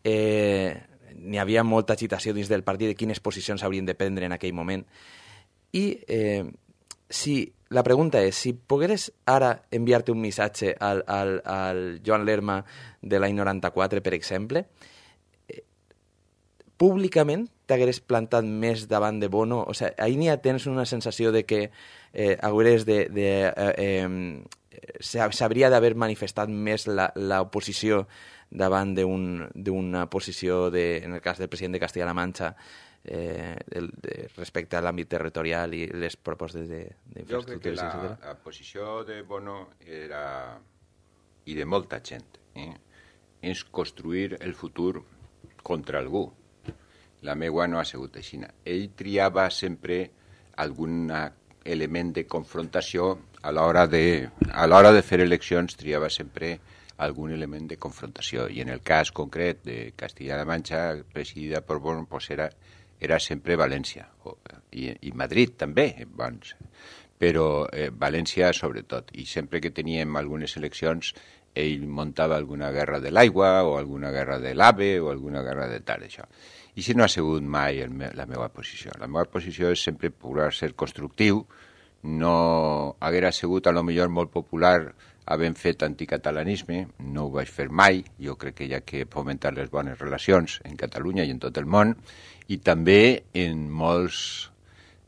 Eh, n'hi havia molta agitació dins del partit de quines posicions s'haurien de prendre en aquell moment. I eh, si, la pregunta és, si pogueres ara enviar-te un missatge al, al, al Joan Lerma de l'any noranta-quatre, per exemple, públicament t'hagueres plantat més davant de Bono? O sigui, ahir n'hi ha tens una sensació de que eh, hagueres de... de eh, eh, s'hauria d'haver manifestat més l'oposició davant d'una posició, de, en el cas del president de Castilla-La Mancha, eh, el, de, respecte a l'àmbit territorial i les propostes d'infraestructures. Jo crec que la, la posició de Bono era, i de molta gent, eh, és construir el futur contra algú. La meua no ha sigut així. Ell triava sempre algun element de confrontació a l'hora de, a l'hora de fer eleccions, triava sempre algun element de confrontació. I en el cas concret de Castilla-La Mancha, presidida per Bono, pues era, era sempre València. I, i Madrid també, doncs. Però eh, València sobretot. I sempre que teníem algunes eleccions, ell muntava alguna guerra de l'aigua o alguna guerra de l'AVE o alguna guerra de tal, això. I si no ha sigut mai el me la meva posició. La meva posició és sempre procurar ser constructiu. No haguera sigut a lo millor molt popular havent fet anticatalanisme, no ho vaig fer mai. Jo crec que hi ha que fomentar les bones relacions en Catalunya i en tot el món, i també en molts,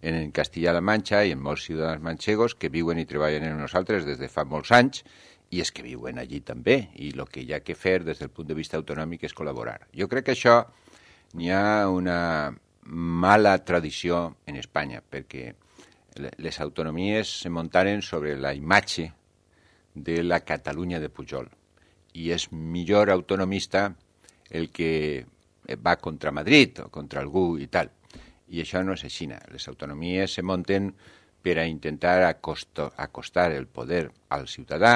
en Castilla-La Manxa i en molts ciutadans manchegos que viuen i treballen en nosaltres des de fa molts anys, i és que viuen allí també, i el que hi ha que fer des del punt de vista autonòmic és col·laborar. Jo crec que això n'hi ha una mala tradició en Espanya, perquè les autonomies se muntaren sobre la imatge de la Catalunya de Pujol, i és millor autonomista el que va contra Madrid o contra algú i tal. I això no és així. Les autonomies se munten per a intentar acosto, acostar el poder al ciutadà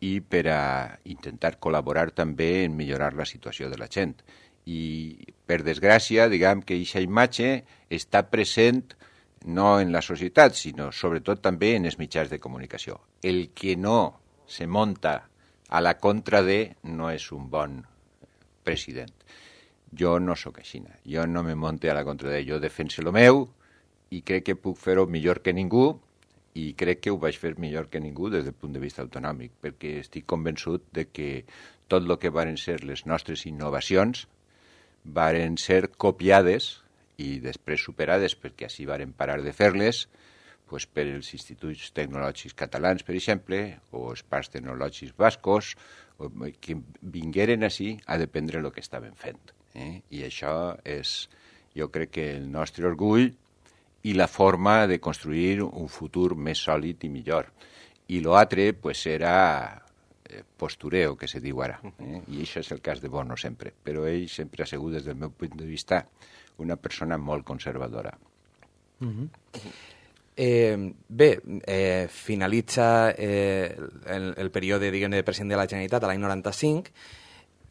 i per a intentar col·laborar també en millorar la situació de la gent. I, per desgràcia, diguem que aquesta imatge està present no en la societat, sinó sobretot també en els mitjans de comunicació. El que no se munta a la contra de no és un bon president. Jo no sóc així, jo no me monte a la contra de, jo defenso el meu i crec que puc fer-ho millor que ningú i crec que ho vaig fer millor que ningú des del punt de vista autonòmic, perquè estic convençut de que tot el que varen ser les nostres innovacions varen ser copiades i després superades perquè així varen parar de fer-les pues, per els instituts tecnològics catalans, per exemple, o els parcs tecnològics bascos, o, que vingueren així a dependre el que estaven fent. Eh? I això és, jo crec que el nostre orgull i la forma de construir un futur més sòlid i millor. I l'altre pues, era postureo, que se diu ara. Eh? I això és el cas de Bono sempre. Però ell sempre ha sigut, des del meu punt de vista, una persona molt conservadora. Uh-huh. Eh, bé, eh, finalitza eh, el, el període, diguem, de president de la Generalitat a l'any noranta-cinc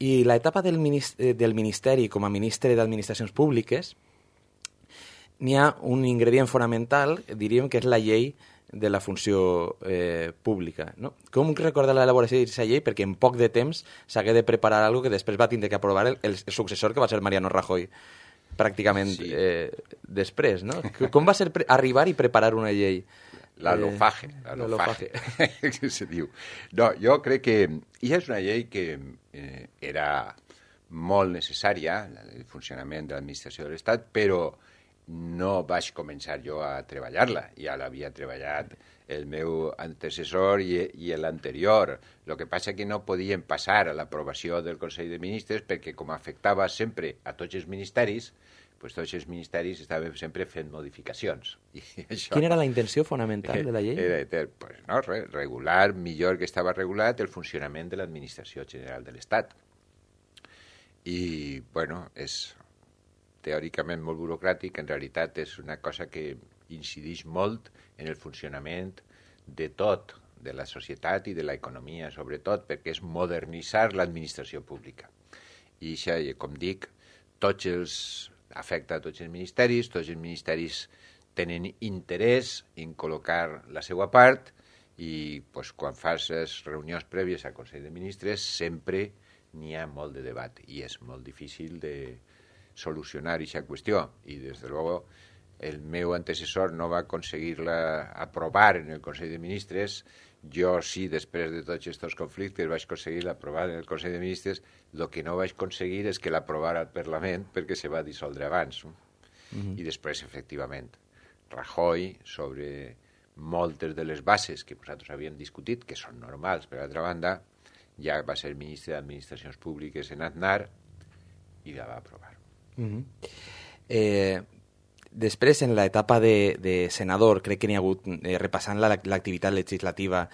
i l'etapa del, ministeri, del Ministeri com a ministre d'Administracions Públiques n'hi ha un ingredient fonamental, diríem que és la llei de la funció eh, pública. No? Com recorda l'elaboració d'aquesta llei? Perquè en poc de temps s'hagué de preparar alguna que després va tindre que aprovar el, el successor, que va ser Mariano Rajoy, pràcticament sí. eh, després. No? Com va ser arribar i preparar una llei? La LOFAGE. La LOFAGE, que se diu. No, jo crec que ja és una llei que eh, era molt necessària, el funcionament de l'administració de l'Estat, però no vaig començar jo a treballar-la, ja l'havia treballat el meu antecessor i, i l'anterior. El que passa que no podien passar a l'aprovació del Consell de Ministres perquè com afectava sempre a tots els ministeris, pues tots els ministeris estaven sempre fent modificacions. I això, quina era la intenció fonamental de la llei? Era pues, no, regular millor que estava regulat el funcionament de l'Administració General de l'Estat. I, bueno, és teòricament molt burocràtic, en realitat és una cosa que incideix molt en el funcionament de tot, de la societat i de l'economia, sobretot, perquè és modernitzar l'administració pública. I això, com dic, tots els, afecta a tots els ministeris, tots els ministeris tenen interès en col·locar la seva part i pues, quan fas les reunions prèvies al Consell de Ministres sempre n'hi ha molt de debat i és molt difícil de solucionar aquesta qüestió i des de luego el meu antecessor no va aconseguir-la aprovar en el Consell de Ministres. Jo sí, després de tots aquests conflictes vaig aconseguir-la aprovar en el Consell de Ministres. El que no vaig aconseguir és que l'aprovara al Parlament perquè se va dissoldre abans. No? Mm-hmm. I després, efectivament, Rajoy, sobre moltes de les bases que nosaltres havíem discutit, que són normals, per altra banda, ja va ser ministre d'Administracions Públiques en Aznar i la va aprovar. Mm-hmm. eh, després en l'etapa de, de senador crec que n'hi ha hagut eh, repassant la, l'activitat legislativa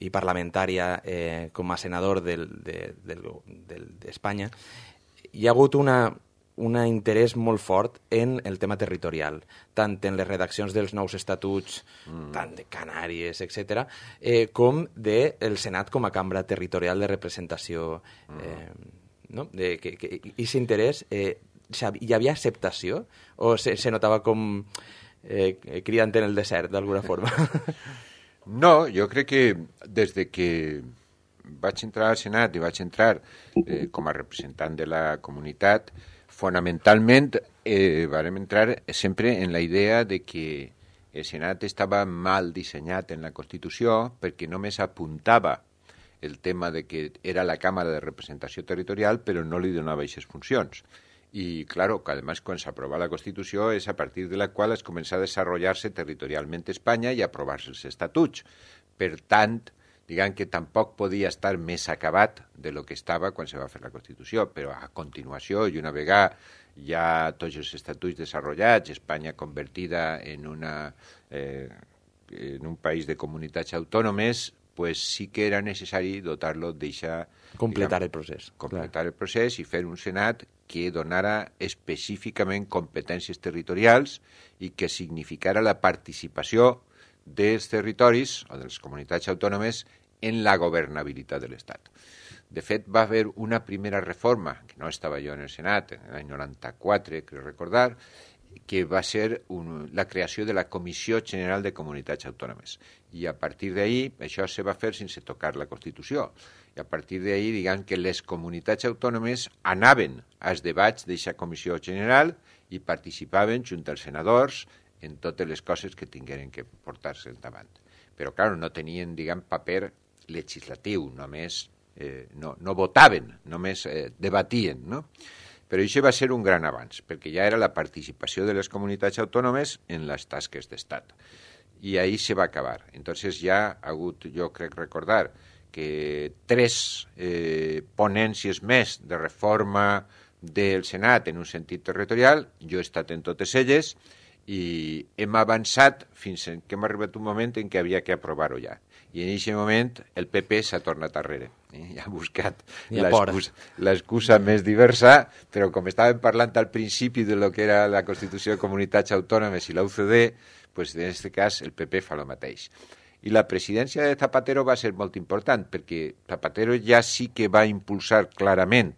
i parlamentària eh, com a senador del, de, del, del, d'Espanya hi ha hagut una un interès molt fort en el tema territorial, tant en les redaccions dels nous estatuts, mm. tant de Canàries, etcètera, eh, com del Senat com a cambra territorial de representació. Eh, no? de, que, que, I aquest interès, eh, hi havia acceptació o se, se notava com eh, cridant en el desert, d'alguna forma? No, jo crec que des de que vaig entrar al Senat i vaig entrar eh, com a representant de la comunitat, fonamentalment eh, vam entrar sempre en la idea de que el Senat estava mal dissenyat en la Constitució perquè només apuntava el tema de que era la Càmera de Representació Territorial però no li donava aquestes funcions. Y claro, que además cuando se aprobó la Constitució és a partir de la qual es comença a desarrollar-se territorialment Espanya i a aprovar-se els estatuts. Per tant, diguem que tampoc podia estar més acabat de lo que estava quan se va fer la Constitució, però a continuació, i una vegada ja tots els estatuts desarrollats, Espanya convertida en, una, eh, en un país de comunitats autònomes, pues sí que era necessari dotar-lo d'eixa... Completar diguem, el procés. Completar clar. el procés i fer un Senat que donara específicament competències territorials i que significara la participació dels territoris o de les comunitats autònomes en la governabilitat de l'Estat. De fet, va haver una primera reforma, que no estava jo en el Senat, en l'any noranta-quatre, crec recordar, que va ser un, la creació de la Comissió General de Comunitats Autònomes. I a partir d'ahir, això se va fer sense tocar la Constitució. I a partir d'ahir, diguem que les comunitats autònomes anaven als debats d'aquesta Comissió General i participaven junt als senadors en totes les coses que tingueren que portar-se endavant. Però, clar, no tenien, diguem, paper legislatiu, només eh, no, no votaven, només eh, debatien, no? Però això va ser un gran avanç, perquè ja era la participació de les comunitats autònomes en les tasques d'Estat. I ahir se va acabar. Entonces ja ha hagut, jo crec recordar, que tres eh, ponències més de reforma del Senat en un sentit territorial, jo he estat en totes elles, i hem avançat fins que hem arribat un moment en què havia que aprovar-ho ja. I en aquest moment el P P s'ha tornat arrere. Eh? Ha buscat l'excusa més diversa, però com estàvem parlant al principi de lo que era la Constitució de Comunitats Autònomes i la U C D, pues en aquest cas el P P fa el mateix. I la presidència de Zapatero va ser molt important, perquè Zapatero ja sí que va impulsar clarament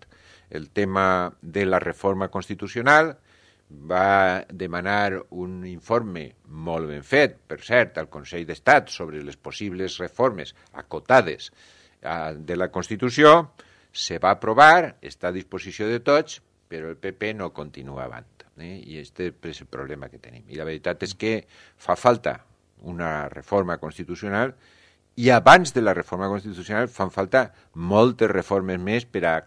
el tema de la reforma constitucional, va demanar un informe molt ben fet, per cert, al Consell d'Estat sobre les possibles reformes acotades eh, de la Constitució, se va aprovar, està a disposició de tots, però el P P no continua avant. Eh? I aquest és el problema que tenim. I la veritat és que fa falta una reforma constitucional i abans de la reforma constitucional fan falta moltes reformes més per a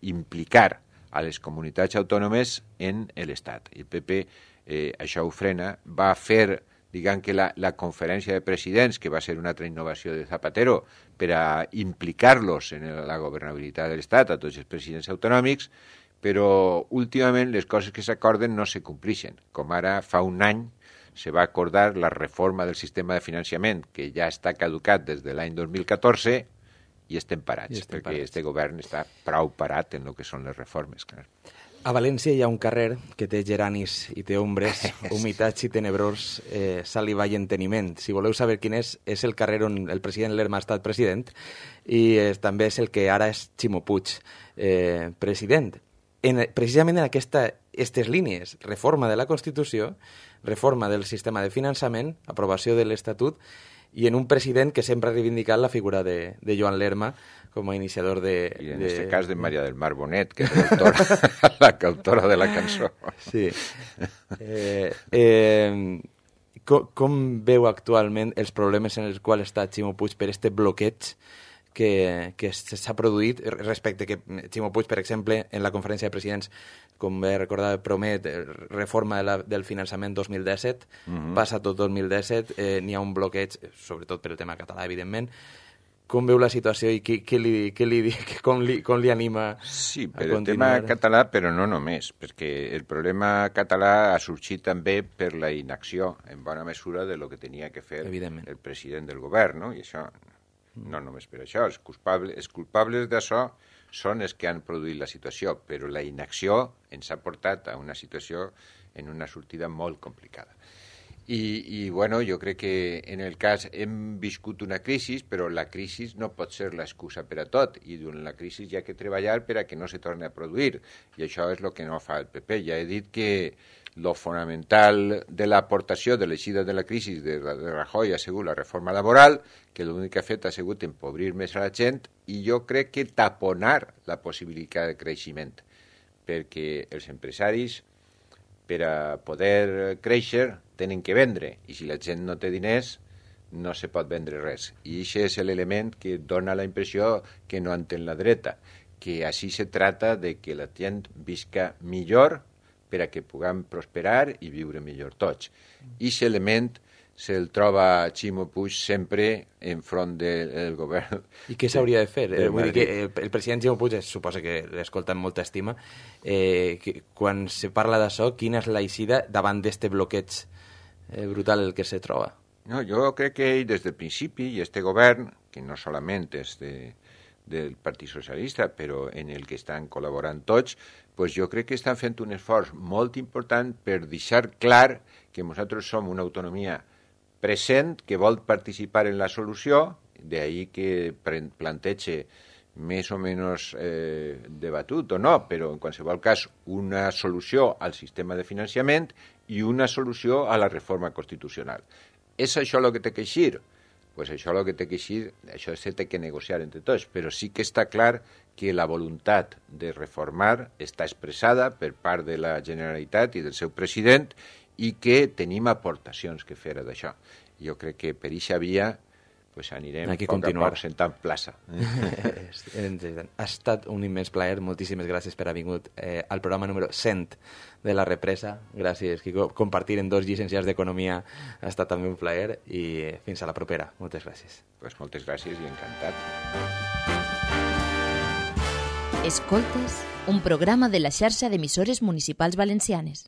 implicar a les comunitats autònomes en l'Estat. I el P P eh, això ho frena, va fer, diguem que la, la conferència de presidents, que va ser una altra innovació de Zapatero, per a implicar-los en la governabilitat de l'Estat, a tots els presidents autonòmics, però últimament les coses que s'acorden no se complixen. Com ara fa un any se va acordar la reforma del sistema de finançament, que ja està caducat des de l'any dos mil catorze, i estem parats, I estem perquè parats. Este govern està prou parat en el que són les reformes. Clar. A València hi ha un carrer que té geranis i té ombres, humitats i tenebrós, eh, saliva i enteniment. Si voleu saber quin és, és el carrer on el president Lerma ha estat president i eh, també és el que ara és Ximo Puig, eh, president. En, precisament en aquesta, aquestes línies, reforma de la Constitució, reforma del sistema de finançament, aprovació de l'Estatut, i en un president que sempre ha reivindicat la figura de, de Joan Lerma com a iniciador de... I en de... este cas de Maria del Mar Bonet, que és l'autora, la autora de la cançó. Sí. Eh, eh, com, com veu actualment els problemes en els quals està Ximo Puig per este bloqueig que, que s'ha produït respecte que Ximo Puig, per exemple, en la conferència de presidents, com bé recordar, promet reforma de la, del finançament dos mil disset, uh-huh. Passa tot dos mil disset, eh, n'hi ha un bloqueig, sobretot per el tema català, evidentment. Com veu la situació i què, què li, què li, com, li, com li anima sí, a per continuar? El tema català, però no només, perquè el problema català ha sorgit també per la inacció, en bona mesura, de lo que tenia que fer el president del govern, no? I això, no només per això, els culpables, els culpables d'això són els que han produït la situació, però la inacció ens ha portat a una situació en una sortida molt complicada. I, i bueno, jo crec que en el cas hem viscut una crisi, però la crisi no pot ser l'excusa per a tot, i durant la crisi hi ha que treballar per a que no se torni a produir, i això és el que no fa el P P. Ja he dit que lo fonamental de l'aportació de l'eixida de la crisi de, de Rajoy ha sigut la reforma laboral, que l'únic que ha fet ha sigut empobrir més a la gent i jo crec que taponar la possibilitat de creixement, perquè els empresaris, per a poder créixer, tenen que vendre, i si la gent no té diners, no se pot vendre res. I això és l'element que dona la impressió que no entén la dreta, que així se trata de que la gent visca millor per a que puguem prosperar i viure millor tots. I aquest element se'l troba Ximo Puig sempre enfront del, del govern. I què s'hauria de fer? De Vull dir que el, el president Ximo Puig, suposa que l'escolta amb molta estima, eh, que, quan se parla d'això, quina és la eixida davant d'este bloqueig eh, brutal el que se troba? No, jo crec que ell des del principi, i este govern, que no solament és de, del Partit Socialista, però en el que estan col·laborant tots, pues jo crec que estan fent un esforç molt important per deixar clar que nosaltres som una autonomia present que vol participar en la solució, d'ahí que plantege més o menys eh, debatut o no, però en qualsevol cas una solució al sistema de finançament i una solució a la reforma constitucional. És això el que té que eixir? Pues això el que té que eixir, això se té que negociar entre tots, però sí que està clar que la voluntat de reformar està expressada per part de la Generalitat i del seu president i que tenim aportacions que fer d'això. Jo crec que per eixa via pues anirem Aquí poc continuar. a poc sentant plaça. Ha estat un immens plaer, moltíssimes gràcies per haver vingut eh, al programa número cent de La Represa. Gràcies, Quico. Compartir en dos llicenciats d'Economia ha estat també un plaer i fins a la propera. Moltes gràcies. Pues moltes gràcies i encantat. Escoltes, un programa de la xarxa d'emissores municipals valencianes.